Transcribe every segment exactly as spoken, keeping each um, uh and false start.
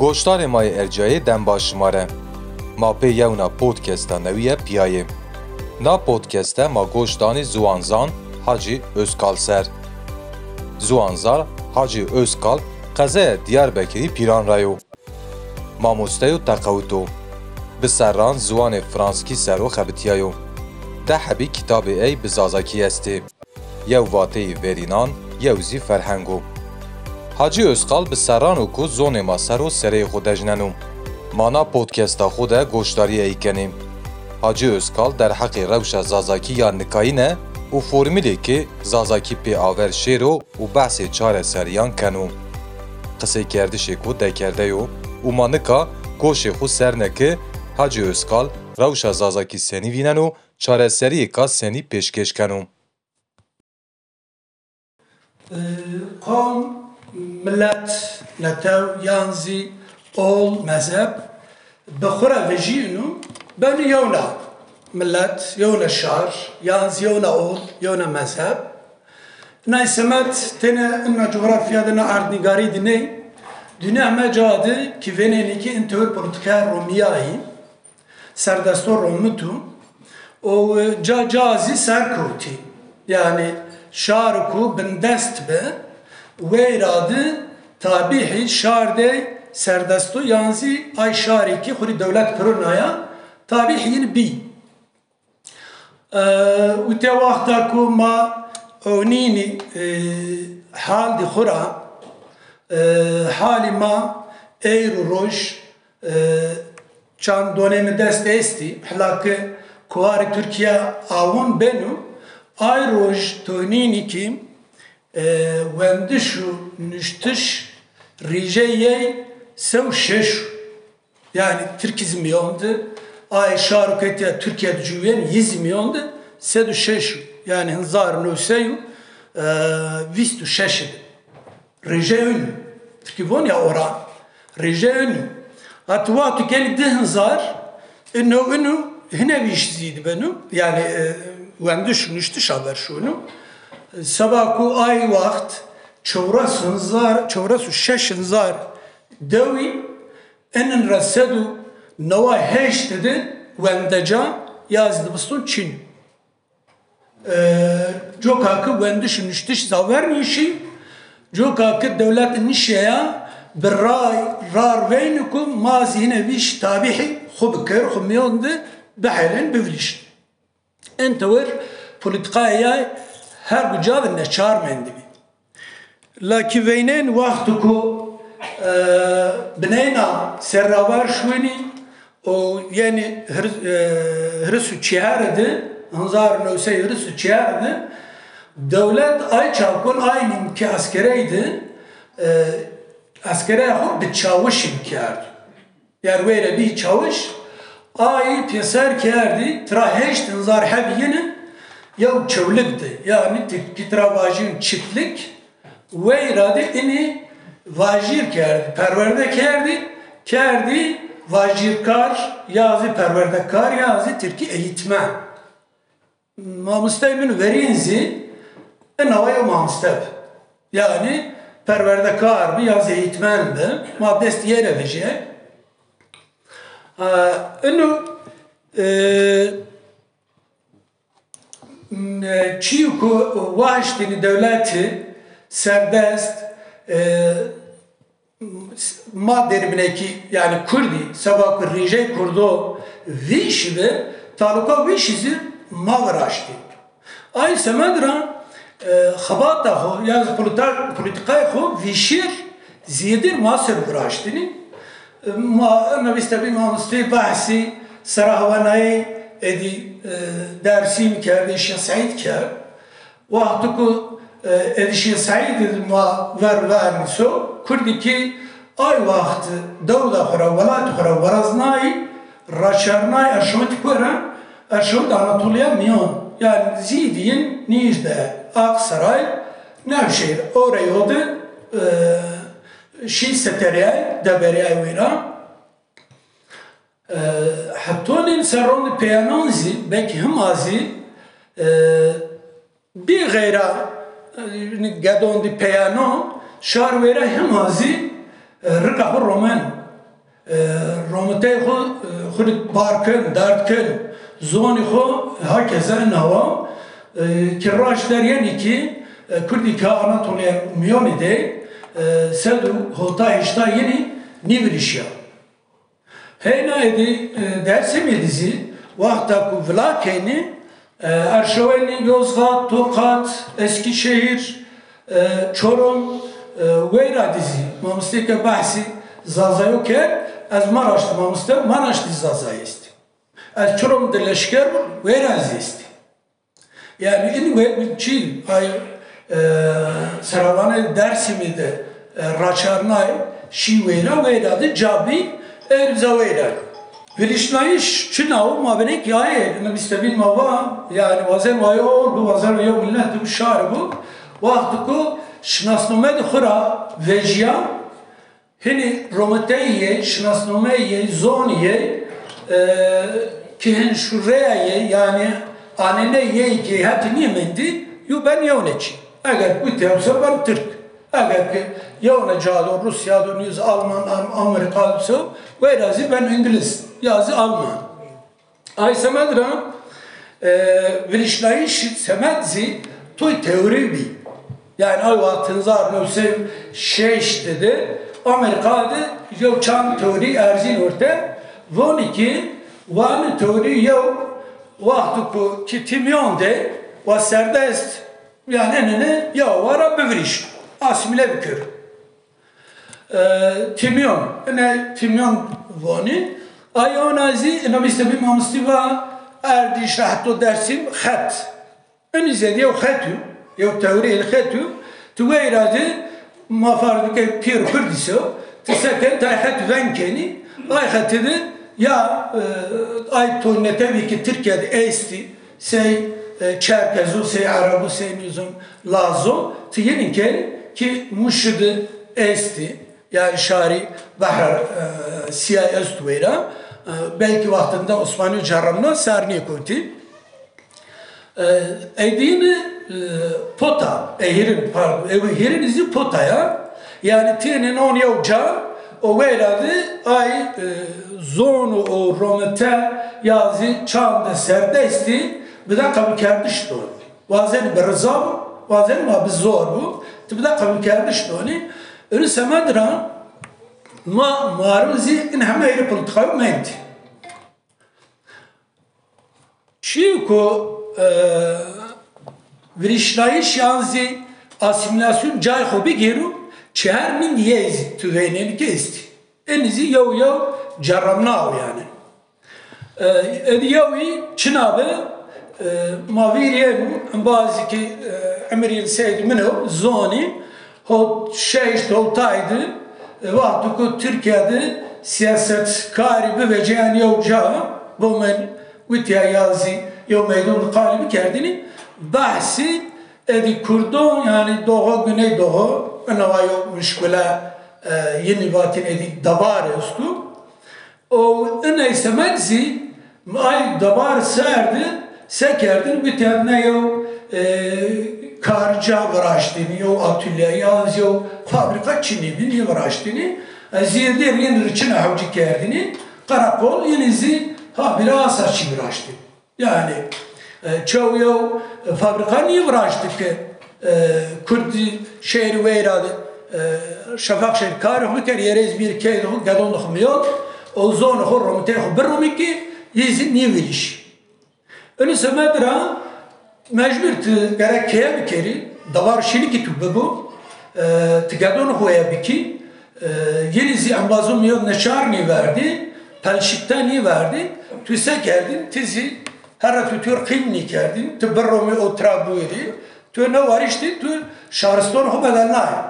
Goştarê ma yê erciyayê dem baş şima re. Ma pê yewna podcasta newî ye piyayê. Na podcasta ma goş danî ziwanzan Hacî Özkal ser. Ziwanzan Hacî Özkal qezaya Diyarbekirî Pîran ra yo. Mamoste yo teqewito. Bi serran ziwanê franskî ser o xebitiyayo. Deh hebî kitabê ey bi zazakî estê. Yew vateyî verînan, yew zî ferhengo. Hacî Özkal bi serran o ku zonê ma ser o sereyê xo dejneno. Ma na podcasta xo de goşdarî ey kenê. Hacî Özkal derheqê rewşa zazakî ya nikayîne û formîlê ke zazakî pê aver şêro û behsê çareseriyan keno. Qiseykerdişê ku dekerde yo û ma nika goşê xo ser ne ke Hacî Özkal rewşa zazakî senî vîneno, çareseriyêka senî pêşkêş keno. Qom, milet, netew yan zî ol, mezheb bi xwe re vejîn û benî yewna milet, yewna şar yan zî yewna ol, yewna mezheb. Nay semed têne inna cografya de, na erdnîgarî de ney. Dinya me ca de ki vênenî ki in tewir polîtîkaya Romiyayî, serdesto Romitu û ca ca zî serkewtî. Yanî şar ku bindest bi, weyra di tabîhî şar dey serdesto yan zî ay şarî ki xurî dewlet pirunaya tabîhî yin bî. Û te wexta ku ma ewnînî hal di xura, halî ma eyr û roj, çand donê mi dest estî, hela ki kuwarê Tirkiye awon beno, ay roj tonînî ki wendiş û nuştiş rîjeyê sew şeş. Yanî Tirkî zî miyon di, ay şar û ketiya Tirkiye di cûyên yî zî miyon di sed û şeş û, yanî hezar û new sey û vîst û şeş di. Rêje ûnû. Tirkî von ya oran. Rêje ûnû. Hati wextu gelî di hezar û new ûnû hine vîş zî dibenu. Yanî wendiş û nuştiş aver şûnû. Seba ku ay wext çewres hezar, çewres û şeş hezar dewî Inin re sed û neway heşt di wendeca ya zî dibiston çin. Coka ki wendiş û nuştiş zaver nîşî, coka ki dewlet nişeya bi ray rar veyni ku ma zî hine vîş tabîhî xwe bikir, xwe miyon di bihelin, bivilişin. Entewir polîtîkaya ya her guca de neçar mendibî. Lakî veynên wextu ku bineyna serraver şûnî û yenî hiris û çehar di, hezar û new sey hiris û çehar di, dewlet ay çavkon aynîn ki eskerey di, eskereya xwe bi çawişî bikerd. Ger wê re bî çawiş, ayî pêser kerdî, tira heşt hezar hebî yini yew çewlik di. Yanî tirkî tira vajîn çiftlik, weyra di inî vajîr kerdî, perwerde kerdî, kerdî vajîrkar ya zî perwerdekar ya zî tirkî eğitmen. Mamosteyê min verîn zî inawa yew mamoste bi. Yanî perwerdekar bi ya zî eğitmen bi. Ma dest yê re vejîye. Ino çî ku waştînî dewletî serdest Ma dêribinekî, yanî kurdî, seba ku rîjey kurdo vîşî bi, taluka vîşî zî ma viraştî. Ay semed ra xebata xo, yan polîtîkayê xo vîşîr zêdir ma ser viraştînî. Ma nivîstebî mamostê behsî sera hewanayê êdî Dersîm kerdî, Şêx Seîd kerd. Wextu ku êdî Şêx Seîd ma ver ver so, kurdî ki ay wext dewda xwe ra, welatê xwe ra weraznayî, raçernayî erşawitî ku re, erşawit Anatoliya Miyan, yanî zîdî yin nîjde Aksaray Nevşehîr, orey odi şî seteriyay, deberiyay wê ra. Hetonên serrondî peyanon zî, belkî hima zî, bî xeyra gedondî peyanon, şar wêre hima zî rika xwe romen. E, Rometeyê xwe, e, xwe bar kin, derd kin, zonê xwe hakeze nawa, e, ki raş deryenî ki, e, Kurdî ki Anatoliya Miyonî de, e, sed û hota heşta yinî nîvirîşiya. Heyna êdî, e, Dersimê dizî, wexta ku vila kenî, e, Erşewenî, Yozgat, Tokat, Eskîşehîr, e, Çorum, e, weyra dizî. Mamosteyke behsî Zazayo kerd, ez Maraş di mamoste, Maraş di Zazayê estî. Ez Çorum di leşker bûm, weyra ez estî. Yani in we çi ay, e, seravanê Dersimê de, e, raçarnay şî weyra, weyra de cabî erza weyra. Vilişnayîş çi naw ma binek yaye, ne bîstebîn ma va, yani wazen wayo, bu wazen yo millet, bu şar bu. Wextu ku şinasname de xura veciya, Hinî rometeyê, şinasnomeyê, zoniyê, e, ki hin şureya yê, yani anene yê ki heti niye mendî, yu ben yewne çi. Eger ku tevse ben Türk. Eger ki yewne cado, Rusya do, yüz Alman, Am-, Amerika do, weyra zî ben İngiliz, ya zî Alman. Ay semed ra, e, vilişnayîş semed zî toy teorî bî. Yani ay wextin zar newsê şeş dedi, Amerika de yew çand teorî erzîn orte, vonî ki wan teorî yew wextu ku ki tîmyon de wa serdest, yani enene ya wara bivirîş, asîmîle bikir. E, Tîmyon, ine Tîmyon vonî. Ay ona zî, ina bîste bî mamostî va, Erdîş, Rehto, Dersim, xet. Inî zêdî yew xet û, yew teorî el xet û, tu weyra di, ma farz bike pîr Kurdî se, tu seken tay xet veng kenî, ay xetî di, ya, e, ay to netewî ki Tirkiye de estî, sey, e, Çerkez o, sey Ereb o, sey nizam Laz o, tu yenî ken ki Mûşi di estî, yani şarî Behra, e, Siyah est weyra, e, belkî wextinde Osmanî ceremna ser nêkotî. E, Edîn, e, pota, e, hirin, pardon, e, hirin zî pota ya. Yani têne non yew ca, o weyra di ay, e, zon û romete ya zî çande serdestî, bi de qebûlkerdiş don. Wazenî bi riza bû, wazenî ma bi zor bû. Tu bi de qebûlkerdiş donî. Iri semed ra ma marin zî in heme êrî polîtîkayî mendî. Çî ku, e, virîşnayîş yan zî asîmîlasyon cayê xwe bigêro, çi her min yê zî tu vênenî ke estî. Enî zî yew yew ceremna ew yani. E, êdî yewî çi nabe, e, ma vîr yên embazî ki, e, emirîn seyd min ew zonî, hot şeşt hotay di, e, wextu ku Tirkiye di siyasetkarî bivece yan yew ca, bo min witiya ya zî yew meydon di qalî bikerdinî, behsî êdî Kurdon, yani Doğu, Güneydoğu, ina wa yew muşkile, e, yenî vatin êdî dewar estu. Û iney semed zî ay dewar ser di se kerdin, gotiyan ne yew, e, karca viraştînî, yew atölye, ya yew fabrîka çinî bî, nî viraştînî. Ez zî dêr yên riçine hewcî kerdinî, qereqol, yenî zî habire asa çî viraştî. Yani, e, çew yew fabrîka nî viraştî ki, e, Kurdî şehrî weyra de, e, şefaq şehrî karê xwe kerd, yerê zî bîr key de xwe gedon de xwe miyon, û zonê xwe romiteyê xwe biromî ki, yê zî nî vîrîş. Inî semed ra mecbûr tu gerek keye bikerî, dewar şînikî tu bibû, e, tu gedon xwe ye bikî, e, yenî zî embazon miyon neçar nî verdî, pelşikte nî verdî, tu se kerdin, tu zî Here tu tûr qîm nîkerdîn, tu biromî û tira bûyîrî, tu newarîştî, tu şariston xwe bedel nayê.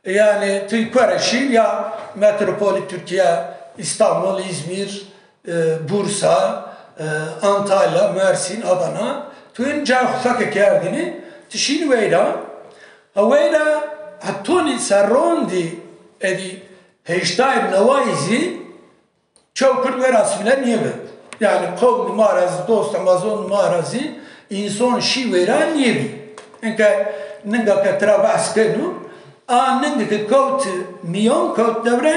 Yani tu kuere şîn ya metropolî Tirkiye, Îstanbul, Îzmîr, e, Bursa, e, Antalya, Mersîn, Adana, tu in cayê xwe feke kerdinî, tu şîn weyra. Ha weyra hetonî serrondî êdî heştayê newayî zî, Çew Kurd wê asîmîle nîbe. Yani qewm di ma ra zî, dost embazon di ma ra zî, înson şî wêra nîbî. Inke ninga ke tira behs keno, a ning ke kewt miyon, kewt devre,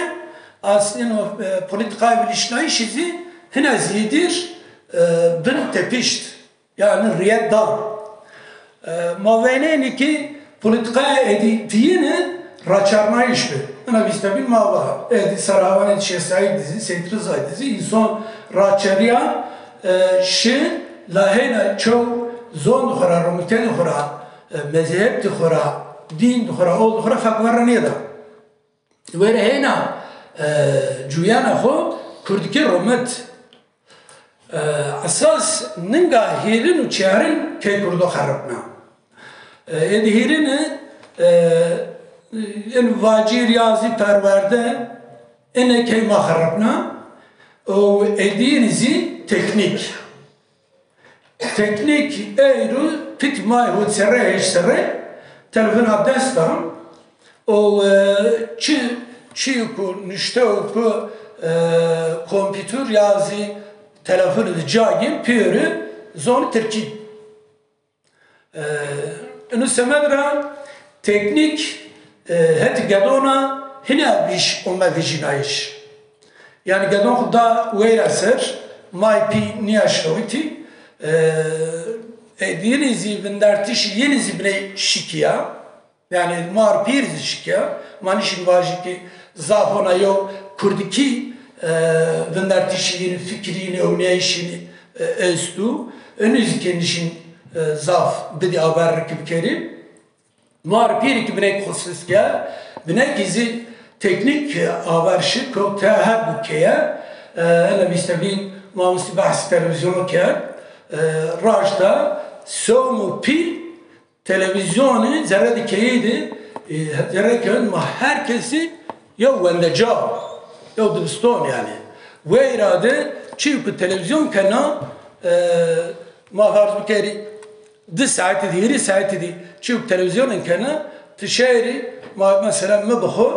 Aslında, e, politikaya bilişnayişi zî hine zîdir, e, bin tepişt. Yani riyet da. E, ma veynênî ki politikaya êdî diyine raçarnayış bi. Ina vîstemîn ma va. Êdî serhavanê Şêh Seîd dizî, Seyîd Rizayî dizî, însan raçeriya, e, şi lahêna çew zon dixura, romîtê dixura, e, mezheb dixura, dîn dixura, ol dixura fek werre nêda. Were hêna, e, cuyana xwe kurdkî romit. E, esas ninga hîrin û çarin key kurdo xeripna. E, êdî hîrin e, e, in vacîr ya zî perwerde ine key ma xeripna û êdîn zî teknîk. Teknîk eyro pît may hût serre hêşt serre telefona dest da û, e, çi, çi ku nişte û ku, e, kompîtur ya zî telefon di cagî pêri zon tirkî. E, inu semed ra teknîk, e, het gedona hine bîş ome vijînayîş. Yani gedon xwe da weyra ser, may pî niya şewitî, e, e, yinî zî vindertiş yinî zî biney şikiya. Yani mar pîr zî şikiya. Ma nişîn vajî ki zaf ona yo kurdikî, e, vindertiş yinî fikrî, newneyişî, e, estu. Önü zî ki nişîn, e, zaf bidî aver ki bikerî. Mar pîrî ki binek xusus ke, binekî zî teknîk aver şi, ku te her du keye, e, ene vîstevîn mamoste behsî televîzyonu kerd, e, raşta sewm û pîl televîzyonê zerre di keyê de, e, zerre kewin ma her kesî yew wendeca, yew dibiston yani. Weyra de çî ku televîzyon kena, e, ma farz bikerî, Di saetî dî, hîrî saetî dî çi televîzyonên kene, ti şeyrî, ma, mesela mi bi xwe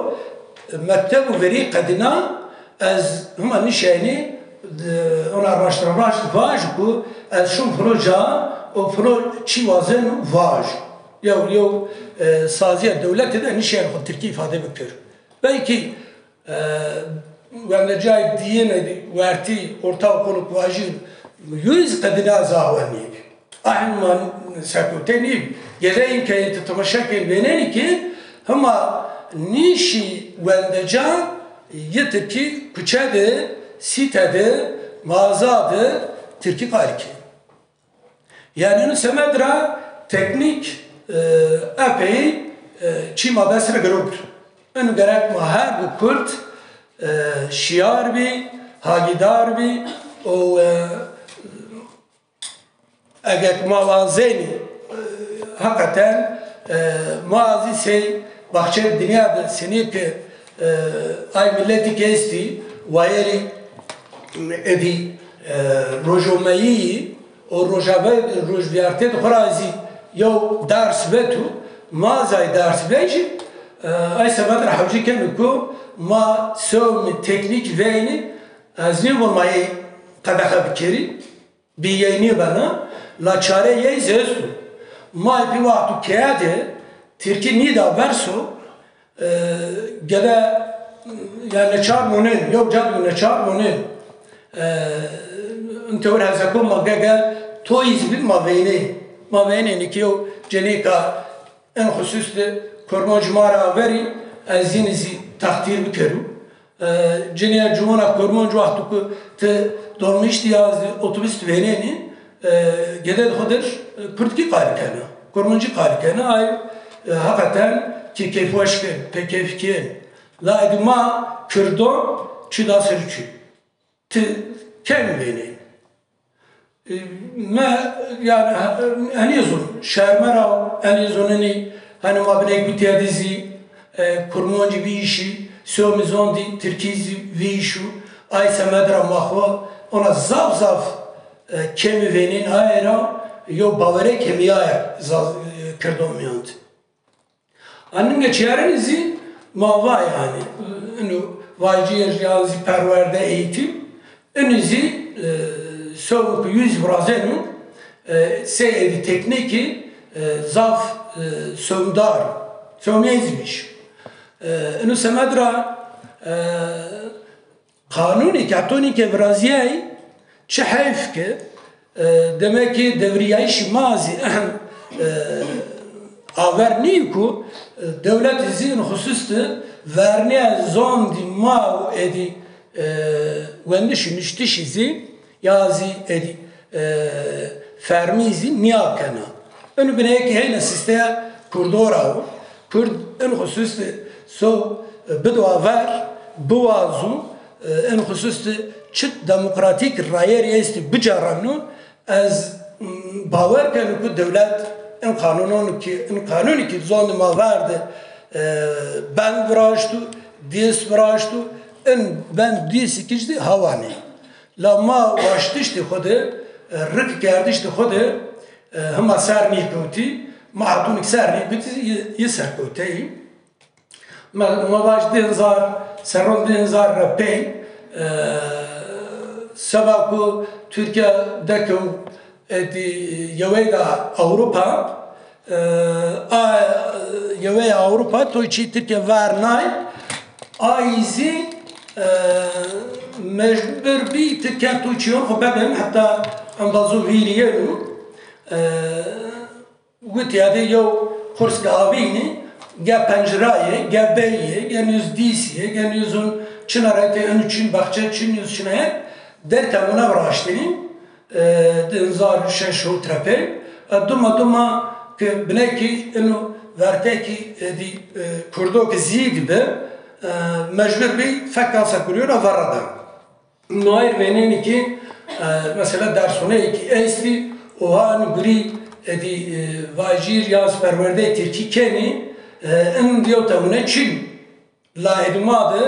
mekteb û verî qedîna, ez hima nişeynî, di, ona raştira raşt vaj ku ez şûm filo ca û filo çî wazen vaj. Yew, yew, e, saziya dewletê de nişeyn xwe tirkî îfade bikir. Belkî E, wendecayê diyine wertî ortaokulu ku vajî yüz qedîna zawe nî. Ahim man sekûtê nî. Gedeyên ke tu temaşe kên vênenî ki hima nîşî wendeca yi tirkî kuçe de, sîte de, maza de tirkî qalî kên. Yani inu semed ra teknîk, e, epey, e, çî ma dest re girot. Inu gerek ma her du kurd, e, şiyar bî, hagîdar bî û, e, eger ma wazenî, e, heqeten, e, ma zî sey baxçeyê dinya de senî ki, e, ay miletî ki estî, wayerî êdî, e, rojomeyî û rojave-, rojviyartê di xwe ra zî yew ders vetu, ma zay ders vejî, e, ay semed re hewcî kenu ku ma sewmî teknîk veynî, ez nî wan ma yê qedexe bikerî, bî yey nî bena, la çare yey zî estu. Ma pî wextu keye de tirkî nî da berso, E, gede, yani neçar monin, yew cad û neçar monin. E, in tewir hezeko ma gege toyî zî bî ma veynê. Ma veynê nî ki yew cenêka en xusus de Kurmanc ma ra averî, ez yînî zî textîr bikerim. E, cinîya ciwana Kurmanc wextu ku ti dolmîş de ya zî otobus de veynênî, e, gede di xwe dir, e, kurdkî qalî kene, kurmancî qalî kene, ay, e, heqeten kê kêfweş kên, pê kêfkên. La êdî ma Kurdo çi da ser çi? Ti kêm vênê. E, me, yani, he-, henî zon, şerme ra, henî zonenî, hani ma binek bi têdî zî, e, kurmancî vî îşî, sewmî zon dî, tirkî zî vî îşû, ay semed ra ma xwe, ona zaf zaf, e, kêmî vênên aye ra, yo bawerê kêmîyaye za-, e, Kirdon miyand. Aninge çêrenî zî ma va yani, inu vaciyê yan zî perwerde eğitim, inu zî, e, sewmî ku yüz virazenu, e, sey êdî teknîkî, e, zaf, e, sewmdar, sewmiyê zî bîş. E, inu semed ra E, qanûnê ke hetonî ke viraziyayî, çi heyf ke, e, demekê devriyayîşî ma zî ehm, e, aver nî ku, e, dewletê zî in xusûs de verniya zondî ma û êdî, e, wendişî nuştişî zî ya zî êdî, e, fermî zî niyakena. Inu bineyekî heyne sîsteya Kurdora û Kurd in xusûs de so, e, bido aver, biwazu, e, in xusûs de çi demokratîk rayerî estî bicaremno, ez, m, bawer kenu ku dewlet in qanûnon ki, in qanûnî ki zondê ma ver de, e, bend viraştu, dîs viraştu, in bend dîsî ki jî hawanê. La ma waştiştê xwe de, e, rik kerdiştê xwe de, e, hima ser nîkewtî, ma hatûnik ser nîkewtî, yê, yê serkewteyî. Ma, ma vaj di hezar, serron di hezar re pey, e, seba ku Tirkiye dekew êdî yeweyda Ewropa, e, a, yeweya Ewropa toy çî Tirkiye ver nay, ay zî, e, mecbur bî Tirkiye toy çîyon xwe bedin, heta embazo vîriyenu, e, Gutiya de yew qurske avînî, ge pencirayê, ge beyê, ge nûz dîsiyê, ge nûzun çina rete enu çin baxçe çin nûz çina ye, der temuna viraştînî, e, di hezar û şeş û trepê, e, duma duma ki binekî inu vertekî, e, dî, e, Kurdo ki zî dibe, e, mecbur bî fek asa kuriyona verada. Nayr vênenî ki, e, mesela dersxoneyekî estî, oha in gurî êdî, e, vajîr ya perwerdeyê tirkî kenî, e, in diyo temune çin. La êdî ma de,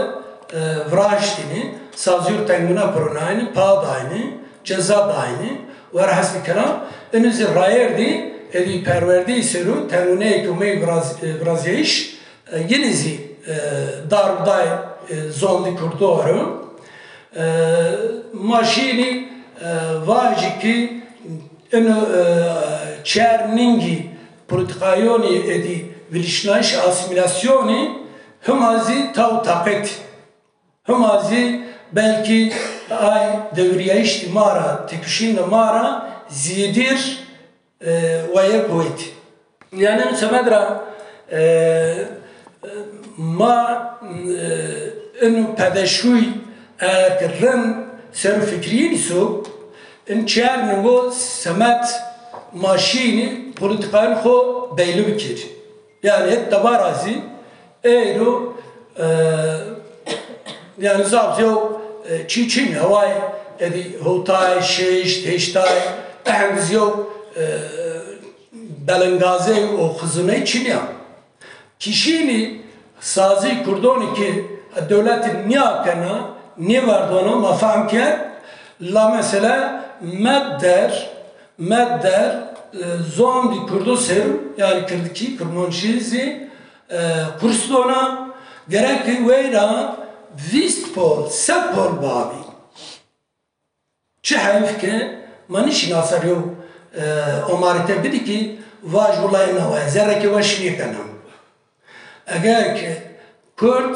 e, viraştînî, sazîr temuna pironayni, pa daynî, ceza daynî, wer hesnî kelam, in zî rayerdî, êdî perwerdeyî seru temuneyekî umey viraz-, e, virazyeyiş, e, yinî zî, e, darbdayê, e, zondî Kurdo ero. E, ma şînî, e, vajî ki ino, e, çer ningî politikayonî êdî vilişnayîş asîmîlasyonî hima zî taw taqet. Hima zî belkî ay devriyayîştî ma ra, têkuşînda ma ra zîdîr, e, weye kuvêt. Yani semed ra, e, ma, e, inu pedeşûy eger rind ser û fikriyîn îso, in çer ningo semed ma şînî politikayên xo beylî bikir. Yani hêt debara zî eyro, e, yani zaf zî yew, e, çî çîn heway êdî hotay, şêşt, hêştay, ehend zî yew, e, belengazey û xizûney çîn ya. Kişînî sazî Kurdonî ki dewletî niyakena, nêverdona, ma fehm kerd, la mesela me der, me der, e, zondî Kurdo ser, yani Kirdikî, Kurmancî zî, e, kurs dona, gerek weyra vîst pol, sed pol bavî. Çi heyf ke ma nişîna ser yew, e, omarite bidî ki vaj wulay nawe, zerreke weş nêkena. Eger ke Kurd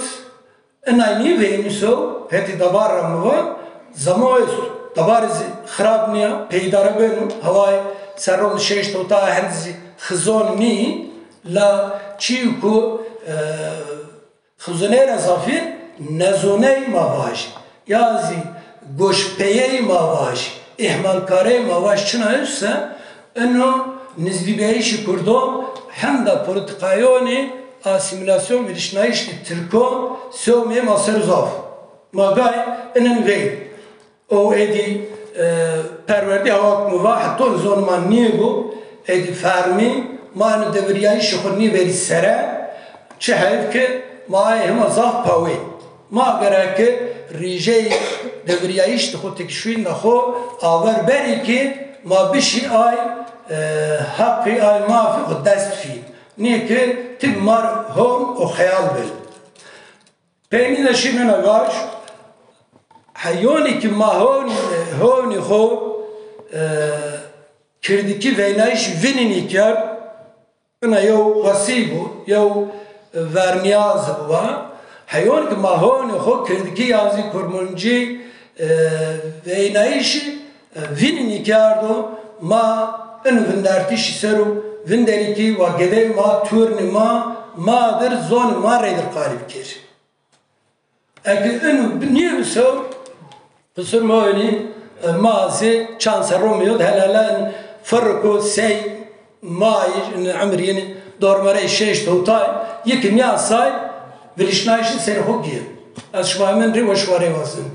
inay nîveyî nîso, hetî dabar ra mi va, zamo est, dabar zî xirab niya, pêdare beno, heway serron şeşt hota hend zî xizon nî, la çî ku, e, Xizûnê re zafî nezûney ma vaj, ya zî goşpeyey ma vaj, îhmalkarey ma vaj çina use, ino nizdîbeyîşî Kurdo hemda polîtîkayonê asîmîlasyon vîrişnayîşî Tirko sewmê ma ser zaf. Ma gay inin vey. Û êdî, e, perwerdî hewa ku min va, heton zon ma nîbû, êdî fermî, ma eno devriyayîşê xwe nîverî sere, çi heyf ke ma ayê hema zaf pawê. Ma gereke rîjeyê devriyayîş di xwe têkişûyîna xwe aver berî ke ma bişî ay, e, heqî ay mafî xwe dest fî. Nê ke tim mar hon û xeyal bin. Peynî de şî min e vaj, heyonî ki ma hon-, honî xo, e, kirdikî veynayîş vinînî kerd, ina yew wesî bû, yew verniyaz bû va. Heyon ki ma honê xo kirdikî yazî kurmancî, e, veynayîşî, e, vînî nîkî ardo, ma inu vindertîşî ser û vinderîkî wa gedey ma, turnî ma, ma dir, zonî ma reydir qalîb kir. Eki inu bi-, nîyo bisew, qisur ma wenî, e, ma zî çand serro miyod helalen firriko sey may, in emir yeni dormere şeş totay, yeki niya say, vilişnayişi ser xo giye. Ez şima min rê ve şima rê wazim.